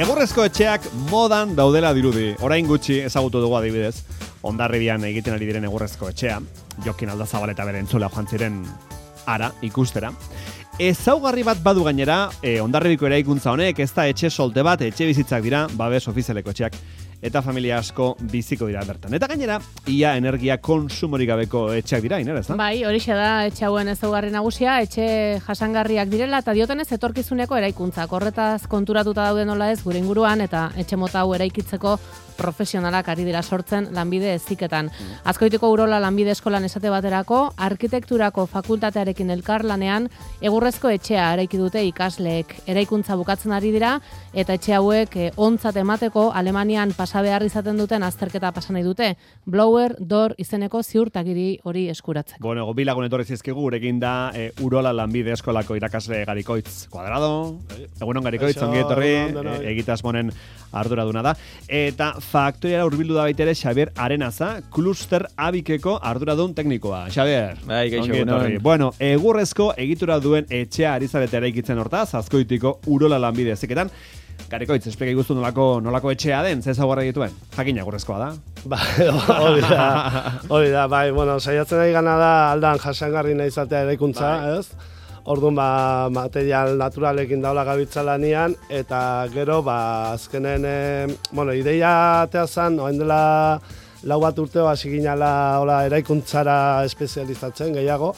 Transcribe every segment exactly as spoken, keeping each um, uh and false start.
Egurrezko etxeak modan daudela dirudi. Orain gutxi ezagutu dugu adibidez, Hondarribian egiten ari diren egurrezko etxea, Jokin Aldazabal eta bere entzulea joan ziren ara ikustera. Ezaugarri bat badu gainera, e, Hondarribiko eraikuntza honek, ez da etxe solte bat, etxe bizitzak dira, babes ofizialeko etxeak, eta familia asko biziko dira bertan. Eta gainera, ia energia konsumorik gabeko etxeak dira, inera, ez da? Bai, horixe da etxe hauen ezaugarri nagusia, etxe jasangarriak direla, eta diotenez etorkizuneko eraikuntzak. Horretaz konturatuta daude nola ez gure inguruan, eta etxe mota hau eraikitzeko profesionalak ari dira sortzen lanbide heziketan. Azkoitiko Urola lanbide eskolan esate baterako, arkitekturako fakultatearekin elkarlanean, egurrezko etxea eraiki dute ikasleek. Eraikuntza bukatzen ari dira, eta etxe hauek eh, ontzat emateko Alemanian pasa behar izaten duten azterketa pasa nahi dute. Blower Door izeneko ziurtagiri hori eskuratzeko. Bueno, gobilagun etorri zizkigu, gurekin da e, Urola lanbide eskolako irakasle Garikoitz Kuadrado. Egunon Garikoitz, ongi etorri, e, egitasmonen arduraduna da. Eta faktoriara hurbildu da baitere Xabier Arenaza, kluster abikeko arduradun teknikoa. Xabier, bai, gaixo, ongi etorri. Bueno, egurrezko egitura duen etxea ari zarete eraikitzen hortaz, Azkoitiko Urola lanbide heziketan. Garikoitz, esplika igustu nolako, nolako etxea den, ze ezaugarri dituen? Jakin egurrezkoa da. Ba, hori da, hori da, bai, bueno, saiatzen ari gana da aldan jasangarri nahi izatea eraikuntza, bai. Ez? Orduan, ba, material naturalekin daula gabitza lanian, eta gero, ba, azkenen, e, bueno, ideia atea zan, oain dela lau bat urteo hasi ginala hola, eraikuntzara espezializatzen gehiago,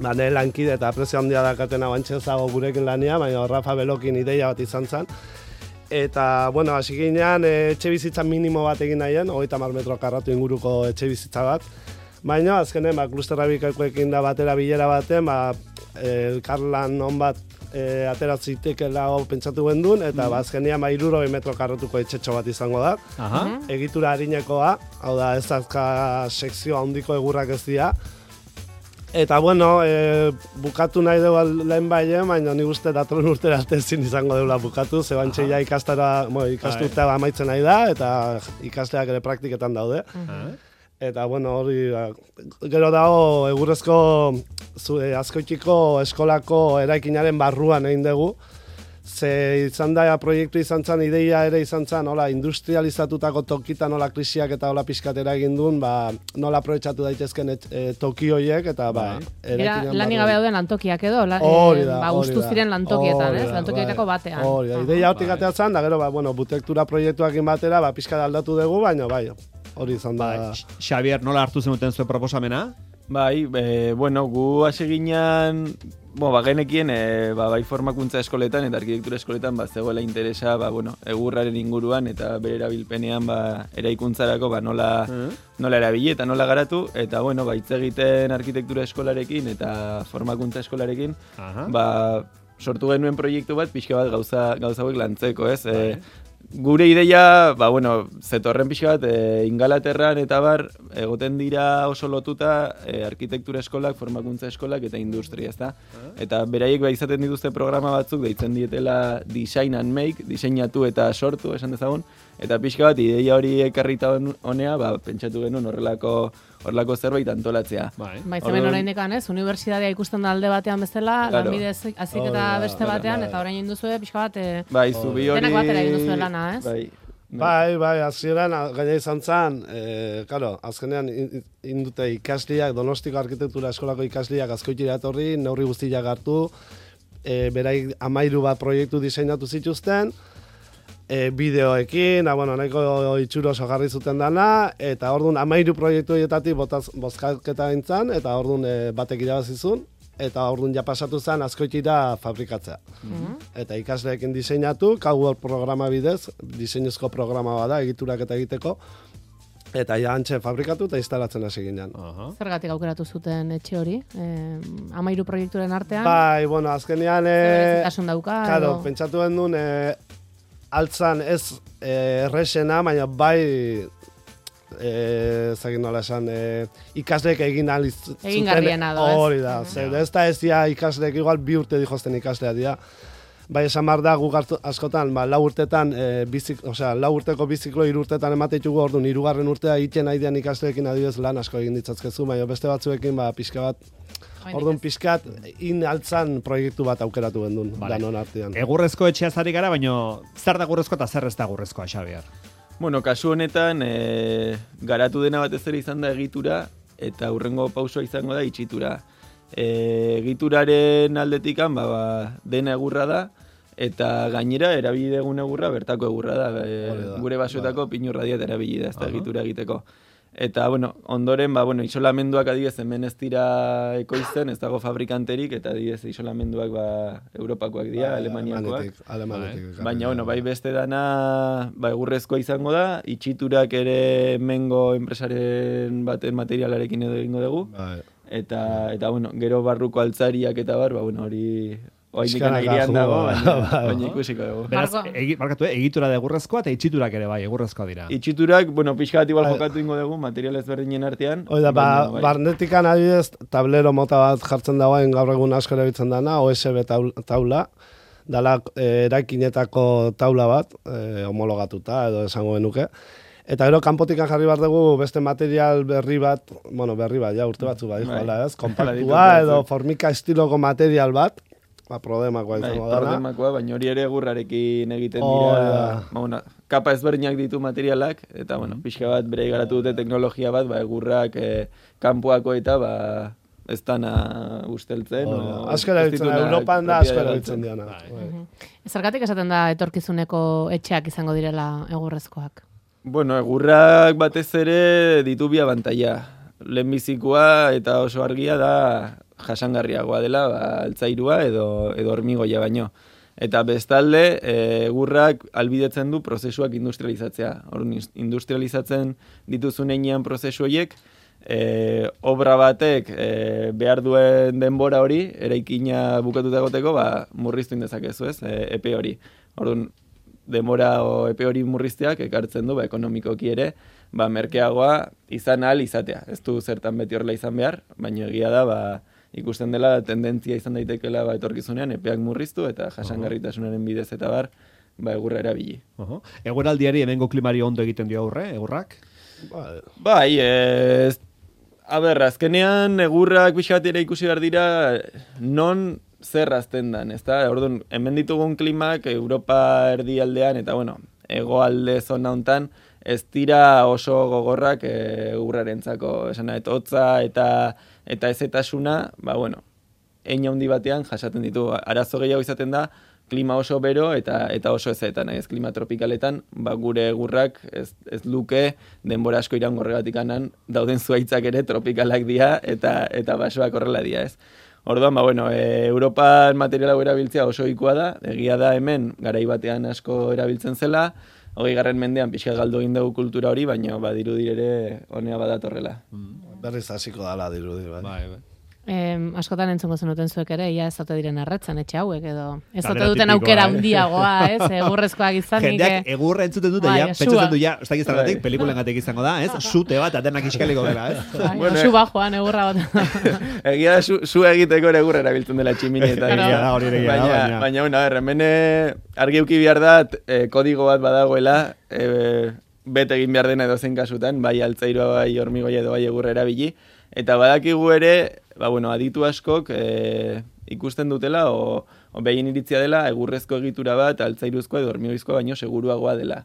ba, ne lankide eta prezio handia dakatena bantxe zago gurekin lania, baina Rafa Belokin ideia bat izan zen. Eta, bueno, hasi ginean, e, etxe bizitza minimo bat egin nahien, hogeita hamar metro karratu inguruko etxe bizitza bat. Baina, azkenen, ba, klusterrabikakoekin da batera bilera baten, ba, elkarlan on bat e, ateratzeitekela hau pentsatu gendun, eta mm. ba, azkenean ba, hirurogei metro karratuko etxetxo bat izango da. Aha. Egitura harinekoa, hau da, ez azka sekzio handiko egurrak ez dira. Eta, bueno, e, bukatu nahi dugu lehen baien, baina nik uste datorren urtera arte ezin izango deula bukatu, zebantxe ja ikastara, bueno, ikasturtea amaitzen nahi da, eta ikasteak ere praktiketan daude. Uh-huh. Eta, bueno, hori, gero dago egurrezko Azkoitiko eskolako eraikinaren barruan egin dugu. Ze izan da, proiektu izan zen, ideia ere izan zen, hola, industrializatutako tokitan nola krisiak eta hola pixkatera egin duen, ba, nola aprobetxatu daitezken et, e, toki horiek, eta ba, era lanik gabe dauden lantokiak edo, la, hori da, e, ba, ustu ziren lantokietan, ez? Lantokietako batean. Hori da, ideia hortik atea zen, da gero, ba, bueno, butektura proiektuakin batera, ba, pixka aldatu dugu, baina, bai, hori izan da. Bai, Xabier, nola hartu zenuten zuen proposamena? Bai, e, bueno, gu hasi ginean, bo, ba, genekien, e, ba, bai formakuntza eskoletan eta arkitektura eskoletan, ba, zegoela interesa, ba, bueno, egurraren inguruan eta bere erabilpenean, ba, eraikuntzarako, ba, nola, uh-huh. nola erabili eta nola garatu, eta, bueno, ba, hitz egiten arkitektura eskolarekin eta formakuntza eskolarekin, uh-huh. ba, sortu genuen proiektu bat, pixka bat gauza, gauza hauek lantzeko, ez? E, Gure ideia, ba, bueno, zetorren pixka bat, e, Ingalaterran eta bar, egoten dira oso lotuta e, arkitektura eskolak, formakuntza eskolak eta industria, ezta? Eta beraiek ba izaten dituzte programa batzuk, deitzen dietela Design and Make, diseinatu eta sortu, esan dezagun, eta pixka bat, ideia hori ekarrita honea, ba, pentsatu genuen horrelako horrelako zerbait antolatzea. Bai, bai hemen oraindekan, ez? Unibertsitatea ikusten da alde batean bezala, claro. Lanbide hazik eta beste oh, batean, bai. Eta orain induzue pixka bat, e, bai, zubi hori... denak batera induzue lana, ez? Bai, bai, bai azieran, gaina izan zen, e, claro, azkenean indute ikasliak, Donostiko arkitektura eskolako ikasliak Azkoitira etorri, neurri guztiak hartu, e, berai amairu bat proiektu diseinatu zituzten, E, bideoekin, bueno, nahiko itxuro oso jarri zuten dana, eta orduan amairu proiektu horietatik bozkaketa gintzen, eta orduan e, batek irabazizun, eta orduan ja pasatu zen Azkoitira fabrikatzea. Mm-hmm. Eta ikasleekin diseinatu, Cowboy programa bidez, diseinuzko programa bada, egiturak eta egiteko, eta ja antxe fabrikatu eta instalatzen hasi ginen. Uh-huh. Zergatik aukeratu zuten etxe hori? E, amairu proiekturen artean? Bai, bueno, azkenean... E, Berezitasun dauka? Claro, edo... pentsatu den duen... E, altzan ez erresena, baina bai e, zagin nola esan, e, ikasleek egin ahal zuten. Egin garriena da, ez? Hori da, zer, ez da ez dia ikasleek igual bi urte dijozten ikaslea dira. Bai, esan behar da, guk askotan, ba, lau urtetan, e, bizik, osea, lau urteko biziklo hiru urtetan emateitugu orduan, hirugarren urtea egiten nahi dian ikasleekin adibidez lan asko egin ditzazkezu, baina beste batzuekin, ba, pixka bat, Orduan pixkat, in altzan proiektu bat aukeratu gendun, Vale. danon artean. Egurrezko etxea zari gara, baina zer da egurrezko eta zer ez da egurrezkoa, Xabier? Bueno, kasu honetan, e, garatu dena batez ere izan da egitura, eta hurrengo pausoa izango da itxitura. E, egituraren aldetikan, ba, ba, dena egurra da, eta gainera erabili dugun egurra bertako egurra da. E, da, gure basoetako pinurra diat erabili da, ez da egitura egiteko. Eta, bueno, ondoren, ba, bueno, isolamenduak adibidez hemen ez dira ekoizten, ez dago fabrikanterik, eta adibidez isolamenduak ba, Europakoak dira, Ba, Alemaniakoak. Alemanetik. Baina, bueno, bai beste dana, ba, egurrezkoa izango da, itxiturak ere mengo enpresaren baten materialarekin edo egingo dugu, Bai. eta, eta, bueno, gero barruko altzariak eta bar, ba, bueno, hori... Oaindik Pixkanaka agirian dago, joa, baina, bai. baina ikusiko dugu. Beraz, Marko. egi, markatu, eh? egitura da egurrezkoa eta itxiturak ere bai, egurrezkoa dira. Itxiturak, bueno, pixka bat igual Bai. jokatu ingo dugu, material ezberdinen artean. Oida, ba, baina, bai. barnetikan adibidez, tablero mota bat jartzen dagoen gaur egun asko erabiltzen dana, O S B taul- taula, dala eh, eraikinetako taula bat, eh, homologatuta edo esango genuke. Eta gero kanpotikan jarri behar dugu beste material berri bat, bueno, berri bat, ja urte batzu bat, Bai. bai. ez, Hala kompaktua ditut, edo bai. formika estiloko material bat, ba, prodemakoa Bai, izango dana. problemakoa, baina hori ere egurrarekin egiten Oh, dira, da. ba, bueno, kapa ezberdinak ditu materialak, eta, bueno, pixka bat bere garatu dute teknologia bat, ba, egurrak eh, kanpoako eta, ba, ez dana usteltzen. Oh, o asko ez erabiltzen, ditunak Europan da asko propiedade erabiltzen galtzen. diana. Bai. Zergatik esaten da etorkizuneko etxeak izango direla egurrezkoak? Bueno, egurrak batez ere ditu bi abantaila. Lehenbizikoa eta oso argia da jasangarriagoa dela, ba, altzairua edo, edo hormigoia baino. Eta bestalde, e, egurrak albidetzen du prozesuak industrializatzea. Orduan, industrializatzen dituzun heinean prozesu horiek, e, obra batek e, behar duen denbora hori, eraikina bukatuta egoteko, ba, murriztu indezakezu ez, e, epe hori. Orduan, denbora o epe hori murrizteak ekartzen du, ba, ekonomikoki ere, ba, merkeagoa izan ahal izatea. Ez du zertan beti horrela izan behar, baina egia da, ba, ikusten dela tendentzia izan daitekela ba, etorkizunean, epeak murriztu eta jasangarritasunaren bidez eta bar, ba, egurra erabili. Oho. Eguraldiari hemengo klimari ondo egiten dio aurre, egurrak? Bai. Bai, ez... A ber, azkenean egurrak pixka bat ere ikusi behar dira non zer azten dan, ezta? Orduan, hemen ditugun klimak Europa erdialdean eta, bueno, hegoalde zona hontan ez dira oso gogorrak e, egurrarentzako, esan nahi, hotza eta eta ezetasuna, ba, bueno, hein handi batean jasaten ditu. Arazo gehiago izaten da, klima oso bero eta eta oso ezetan, ez klima tropikaletan, ba, gure egurrak ez, ez luke denbora asko iraungo horregatik anan, dauden zuaitzak ere tropikalak dira eta eta basoak horrela dira, ez. Orduan, ba, bueno, e, Europan material hau erabiltzea oso ohikoa da, egia da hemen garai batean asko erabiltzen zela, hogei garren mendean pixka galdu egin dugu kultura hori, baina badirudi ere honea badatorrela. Berriz hasiko dala dirudi, bai. Bai, bai. Eh, askotan entzungo zenuten zuek ere, ia ez ote diren erretzen etxe hauek, edo ez ote Galdera duten tipikoa, aukera eh? handiagoa, ez, egurrezkoak izanik. Jendeak egurra entzuten dute, Bai, ja, sua. pentsatzen du, ja, ez dakit zergatik, Bai. pelikulengatik izango da, ez? Sute bat, atenak iskaliko dela, ez? Bai, Bueno, osu bajoan egurra bat. Egia da, su, su egiteko ere egurra erabiltzen dela tximinietan. Egia da, hori ere egia da, baina, baina- baina, bueno, a ver, hemen eh, argi euki behar da, eh, kodigo bat badagoela, eh, bete egin behar dena edozein kasutan, bai altzairoa, bai hormigoia edo bai egurra erabili, eta badakigu ere, ba, bueno, aditu askok eh, ikusten dutela, o, o behin iritzia dela, egurrezko egitura bat, altzairuzkoa edo hormigoizkoa baino seguruagoa dela.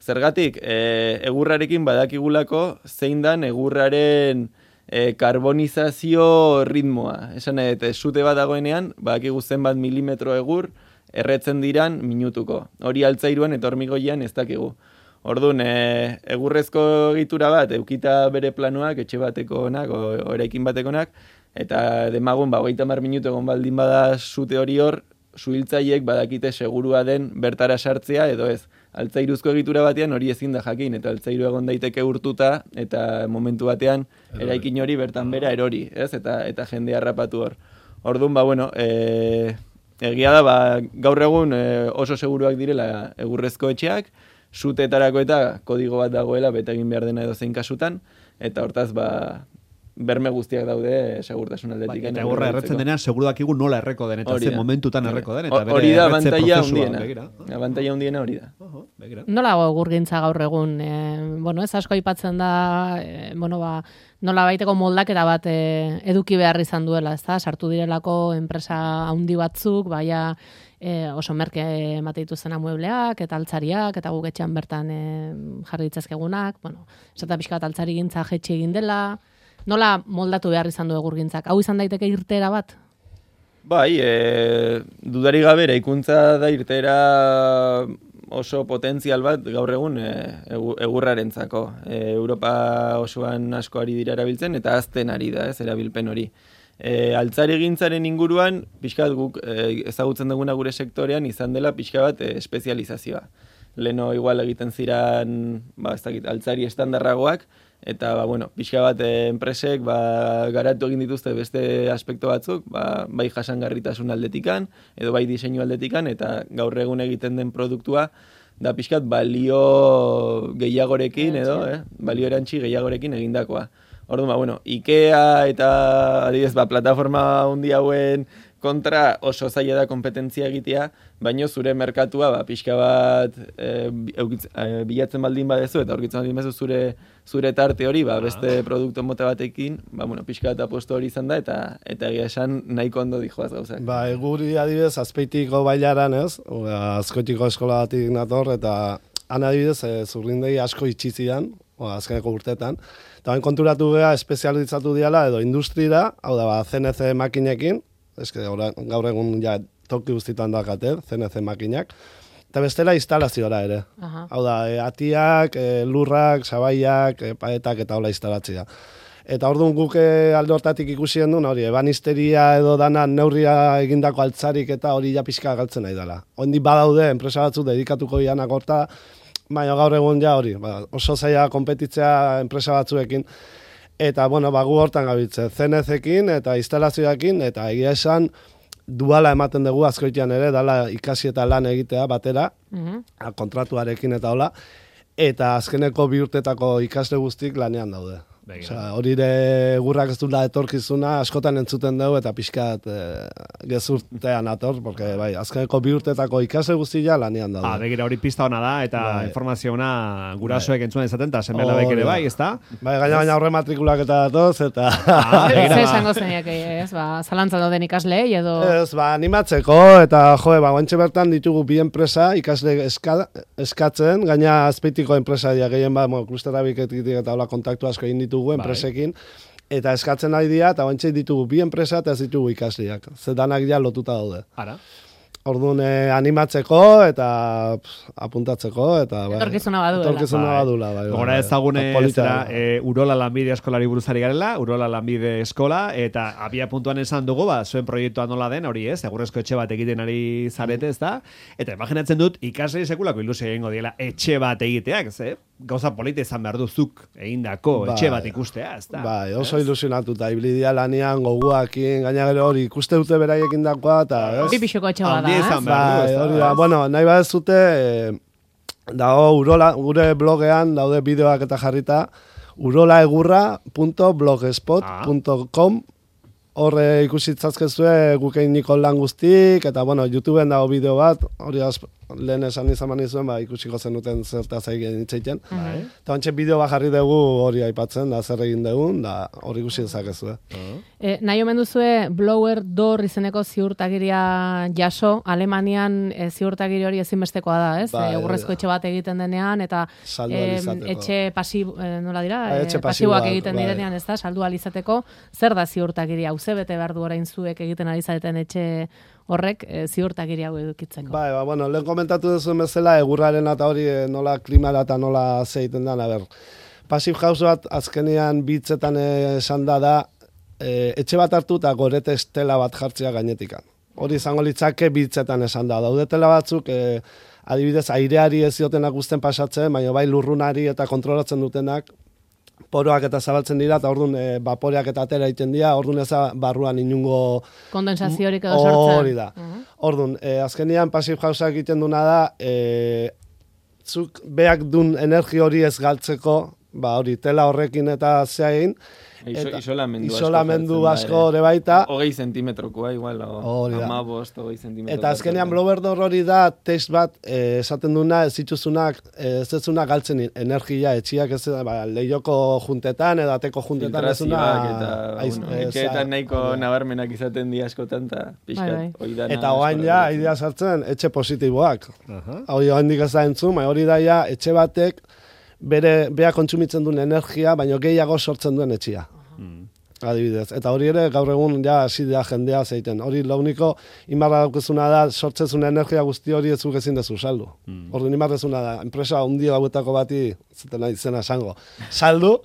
Zergatik, e, egurrarekin badakigulako zein dan egurraren e, karbonizazio ritmoa. Esan nahi, eta sute bat dagoenean, badakigu zenbat milimetro egur erretzen diran minutuko. Hori altzairuan eta hormigoian ez dakigu. Orduan, e, egurrezko egitura bat, eukita bere planoak, etxe batekonak, o, o eraikin batekonak, eta demagun, ba, hogeita hamar minutu egon baldin bada sute hori hor, suhiltzaileek badakite segurua den bertara sartzea edo ez. Altzairuzko egitura batean hori ezin da jakin, eta altzairu egon daiteke urtuta, eta momentu batean eraikin hori bertan bera erori, ez? Eta, eta jende harrapatu hor. Orduan, ba, bueno, e, egia da, ba, gaur egun e, oso seguruak direla egurrezko etxeak, suteetarako eta kodigo bat dagoela bete egin behar dena edo zein kasutan, eta hortaz, ba, berme guztiak daude segurtasun aldetik. Bai, eta egurra erretzen denean, seguru dakigu nola erreko den, eta ze momentutan erreko den, eta bere hori da erretze abantaila prozesua. hundiena. Abantaila hundiena hori da. Uh-huh, begira. Nola egurgintza gaur egun, e, bueno, ez asko aipatzen da, e, bueno, ba, nola baiteko moldaketa bat e, eduki behar izan duela, ezta? Sartu direlako enpresa handi batzuk, baia e, oso merke emate dituzten amuebleak, eta altzariak, eta guk etxean bertan e, jarri ditzazkegunak, bueno, esata pixka bat altzari gintza jetxe egin dela, nola moldatu behar izan du egurgintzak? Hau izan daiteke irtera bat? Bai, e, dudari gabe eraikuntza da irtera oso potentzial bat gaur egun e, egurrarentzako. E, Europa osoan asko ari dira erabiltzen eta azten ari da, ez, erabilpen hori. E, altzari gintzaren inguruan, pixkat guk e, ezagutzen duguna gure sektorean izan dela pixka bat e, espezializazioa. Leno igual egiten ziran, ba, ez dakit, altzari estandarragoak, eta ba, bueno, pixka bat e, enpresek ba, garatu egin dituzte beste aspektu batzuk, ba, bai jasangarritasun aldetikan, edo bai diseinu aldetikan, eta gaur egun egiten den produktua da pixkat balio gehiagorekin, edo, eh? balio erantzi gehiagorekin egindakoa. Orduan, ba, bueno, IKEA eta adibidez, ba, plataforma hundi hauen kontra oso zaila da kompetentzia egitea, baino zure merkatua ba, pixka bat e, eukitz, e, bilatzen baldin badezu, eta aurkitzen baldin badezu zure, zure tarte hori, ba, beste produktu mota batekin, ba, bueno, pixka bat apuesto hori izan da, eta eta egia esan nahiko ondo dijoaz gauzak. Ba, eguri adibidez, azpeitiko bailaran ez, azkoitiko eskola batik nator, eta han adibidez, e, zurrindei asko itxizian, azkeneko urtetan, eta hain konturatu geha espezializatu diala, edo industrira, hau da, ba, C N C makinekin, eske gaur egun ja toki guztietan dakate, C N C makinak, eta bestela instalaziora ere. Aha. Hau da, e, atiak, e, lurrak, sabaiak, e, paetak eta hola instalatzea. Eta orduan guk alde hortatik ikusi duen, hori, ebanisteria edo dana neurria egindako altzarik eta hori ja pixka galtzen nahi dela. Hondi badaude, enpresa batzuk dedikatuko dianak horta, baina gaur egun ja hori, ba, oso zaila konpetitzea enpresa batzuekin. Eta, bueno, ba, gu hortan gabiltze, C N C-ekin eta instalazioekin, eta egia esan duala ematen dugu azkoitian ere, dala ikasi eta lan egitea batera, Mhm. kontratuarekin eta hola, eta azkeneko bi urtetako ikasle guztik lanean daude. Osea, hori ere gurrak ez dula etorkizuna, askotan entzuten dugu eta pixkat e, gezurtean ator, porque bai, azkeneko bi urtetako ikasle guztia lanean daude. Ah, begira hori pista ona da, eta Bai. informazio ona gurasoek entzuen izaten, eta seme-alabek ere bai, ezta? Bai, gaina baina horre matrikulak eta datoz, eta... Ah, begira, Zer ba. esango zeniak, ez, ba, zalantzan dauden ikaslei, edo... Ez, ba, animatzeko, eta jo, ba, guantxe bertan ditugu bi enpresa, ikasle eska, eskatzen, gaina azpeitiko enpresa dira, gehien ba, bueno, klusterabiketik eta hola kontaktu asko egin ditugu enpresekin, eta eskatzen nahi dira, eta guantxe ditugu bi enpresa eta ez ditugu ikasleak. Zedanak ja lotuta daude. Ara. Orduan eh, animatzeko eta pff, apuntatzeko eta bai, Etorkizuna baduela. Etorkizuna Bai. badula, bai. bai, Gora bai. ezagune Eta polita zera, da. e, Urola Lanbide Eskolari buruzari garela, Urola Lanbide Eskola, eta abia puntuan esan dugu, ba, zuen proiektua nola den, hori ez, egurrezko etxe bat egiten ari zarete, ez da? Eta imaginatzen dut, ikasle sekulako ilusio egingo diela etxe bat egiteak, ze? Gauza polita izan behar duzuk egindako Bai. etxe bat ikustea, ez da? Bai, oso ilusionatuta, ibilidia lanean, goguakin, gaina gero hori, ikuste dute beraiekin dakoa, eta ez? Bi pixoko etxe bada, Handia ez? izan behar du, Bai, ez da? hori da, bueno, nahi badezute, e, dago urola, gure blogean daude bideoak eta jarrita, urolaegurra punto blogspot punto com, horre ikusi itzazkezue gukein niko lan guztik, eta bueno, YouTubeen dago bideo bat, hori az, lehen esan izan manizuen, ba, ikusiko zenuten zertaz egin itzeiten. Bai. Eta ontsa bideo bat jarri dugu hori aipatzen, da zer egin dugun, da hori ikusi dezakezue. E, nahi omen duzue blower door izeneko ziurtagiria jaso, Alemanian e, ziurtagiri hori ezinbestekoa da, ez? Bai, E, egurrezko etxe bat egiten denean, eta Saldu em, ahal izateko. etxe pasib, e, nola dira? Bai, E, etxe pasiboak pasiboak, egiten bai. direnean, ez da? Saldu ahal izateko, zer da ziurtagiria? Hauze bete behar du orain zuek egiten ari zareten etxe horrek e, ziurtagiri hau edukitzeko. Bai, ba, bueno, lehen komentatu duzu bezala, egurraren eta hori e, nola klimara eta nola zeiten den, a ber. Passive house bat azkenean bitzetan esan da da, e, etxe bat hartu eta gorete estela bat jartzea gainetikan. Hori izango litzake bitzetan esan da. Daudetela batzuk, e, adibidez, aireari ez diotenak guzten pasatzen, baina bai lurrunari eta kontrolatzen dutenak, poroak eta zabaltzen dira, eta orduan e, vaporeak eta atera egiten dira, orduan ez da barruan inungo... Kondensaziorik edo sortzen. Hori da. Orduan, e, azkenean passive housea egiten duna da, e, zuk beak dun energi hori ez galtzeko, ba hori, tela horrekin eta zea egin, Iso, Eta isolamendu asko. Isolamendu jartzen da asko ere. ere baita. Hogei zentimetrokoa, igual, Hori da. amabost, hogei zentimetroko. Eta azkenean blowerdor hori da text bat eh, esaten duna ez zituzunak, eh, ez zezuna galtzen energia etxiak ez ba, lehioko juntetan edo ateko juntetan ez zuna Filtrazioak eta, aiz- bueno, eh, etxeetan za- nahiko hori da. nabarmenak izaten di askotan, eta Bai, pixkat, bai. hori dana Eta oain asko ja, erabiltzen. idea sartzen, etxe positiboak. Aha. Hori oaindik ez da entzun, baina hori da ja, etxe batek bere, bea kontsumitzen duen energia, baina gehiago sortzen duen etxia. Mm. Adibidez. Eta hori ere, gaur egun ja hasi da jendea zeiten. Hori launiko, imarra daukezuna da, sortzezun energia guzti hori ez zuk ezin dezu saldu. Mm. Orduan imarrezuna da, enpresa handi hauetako bati, zuten izena esango, saldu,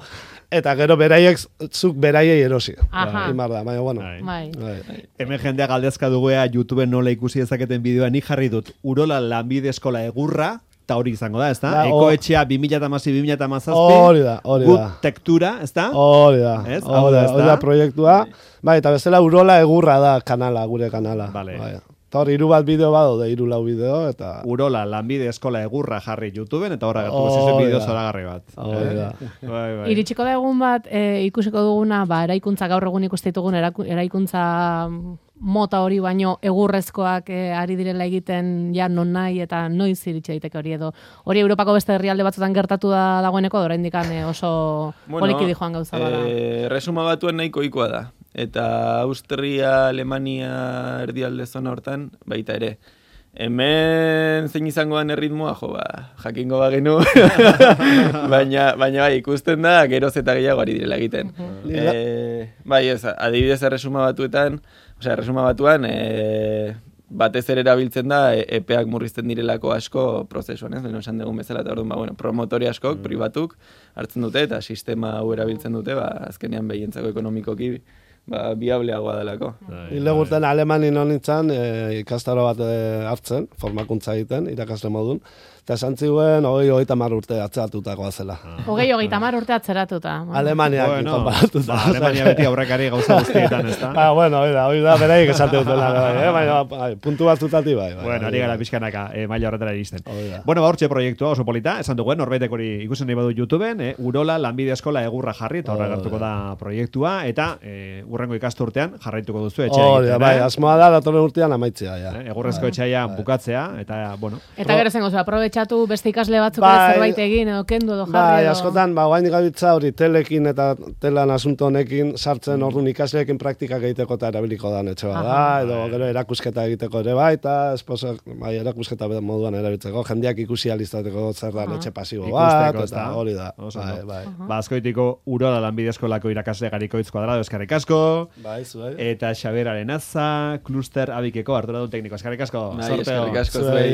eta gero beraiek, zuk beraiei erosi. Aha. Imar da, baina bueno. Bai. Bai. Bai. Hemen jendea galdezka duguea YouTubeen nola ikusi dezaketen bideoa, nik jarri dut Urola lanbide eskola egurra, eta hori izango da, ezta? Da, o- Ekoetxea bi mila hamasei bi mila hamazazpi, Hori da, hori da. Gut tektura, ezta? Hori da, Ez? Hau hori da, da, ezta? hori da proiektua. Bai, eta bezala Urola egurra da kanala, gure kanala. Vale. Bai. Eta hori hiru bat bideo badaude, hiru lau bideo, eta... Urola lanbide eskola egurra jarri YouTubeen, eta horra gertu Hori zizen bideo da. zoragarri bat. Hori da. Bai, bai. Iritsiko da egun bat, e, ikusiko duguna, ba, eraikuntza gaur egun ikuste ditugun eraku- eraikuntza mota hori baino egurrezkoak e, ari direla egiten ja non nahi eta noiz iritsi daiteke hori edo. Hori Europako beste herrialde batzutan gertatu da dagoeneko, oraindik e, oso poliki joan gauza bada. Eh, resuma batuen nahiko ohikoa da. Eta Austria, Alemania erdialde zona hortan baita ere. Hemen zein izango den erritmoa, jo, ba, jakingo bagenu. baina, baina bai, ikusten da, geroz eta gehiago ari direla egiten. Eh, bai, ez, adibidez erresuma batuetan, osea, erresuma batuan, eh, batez ere erabiltzen da, e, epeak murrizten direlako asko prozesuan, ez? Lehen esan dugun bezala, eta orduan, ba, bueno, promotori askok, pribatuk, hartzen dute, eta sistema hau erabiltzen dute, ba, azkenean behientzako ekonomikoki, ba, biableagoa delako. Hile gurten Alemanin honintzen e, ikastaro bat e, hartzen, formakuntza egiten, irakasle modun, eta esan ziuen, hogei, hogeita mar urte atzeratutakoa zela. Hogei hogeita hamar urte atzeratuta. Alemaniak Bueno, konparatuta. ba, Alemania beti aurrekari gauza guztietan, ezta? Ah, bueno, hori da, hori da, beraiek esate dutela, bai, eh? Baina, bai, puntu batzutati bai. bai Bueno, bai, ari gara bai. pixkanaka, eh, maila horretara iristen. Hori da. Bueno, ba, hortxe proiektua oso polita, esan duguen, norbaitek hori ikusen nahi badu YouTubeen, eh, Urola lanbide eskola egurra jarri, eta horra Hori gertuko da proiektua, eta eh, urrengo ikasturtean jarraituko duzu etxea Hori da, egiten, bai, eh? asmoa da, datorren urtean amaitzea, ja. Eh, egurrezko etxaia bukatzea, eta, bueno, Eta gero zengo, aprobetxatu beste ikasle batzuk Bai. ere zerbait egin edo kendu edo jarri Bai, edo... askotan, ba, guain gabiltza hori telekin eta telan asunto honekin sartzen orduan ikasleekin praktikak egiteko eta erabiliko da etxe bat da, Aha. edo gero erakusketa egiteko ere bai, eta esposak, bai, erakusketa moduan erabiltzeko, jendeak ikusi alizateko zer da Aha. etxe pasibo Ikusteko, bat, ezta? eta hori da. Oso Bai, ondo. bai. ba, azkoitiko Urola lanbide eskolako irakasle garikoitz kuadrado eskarrik asko, Bai, zuei. eta Xaber Arenaza, kluster abikeko arduradun tekniko eskarrik asko. Bai, Sorteo. eskerrik asko Zuei. zuei.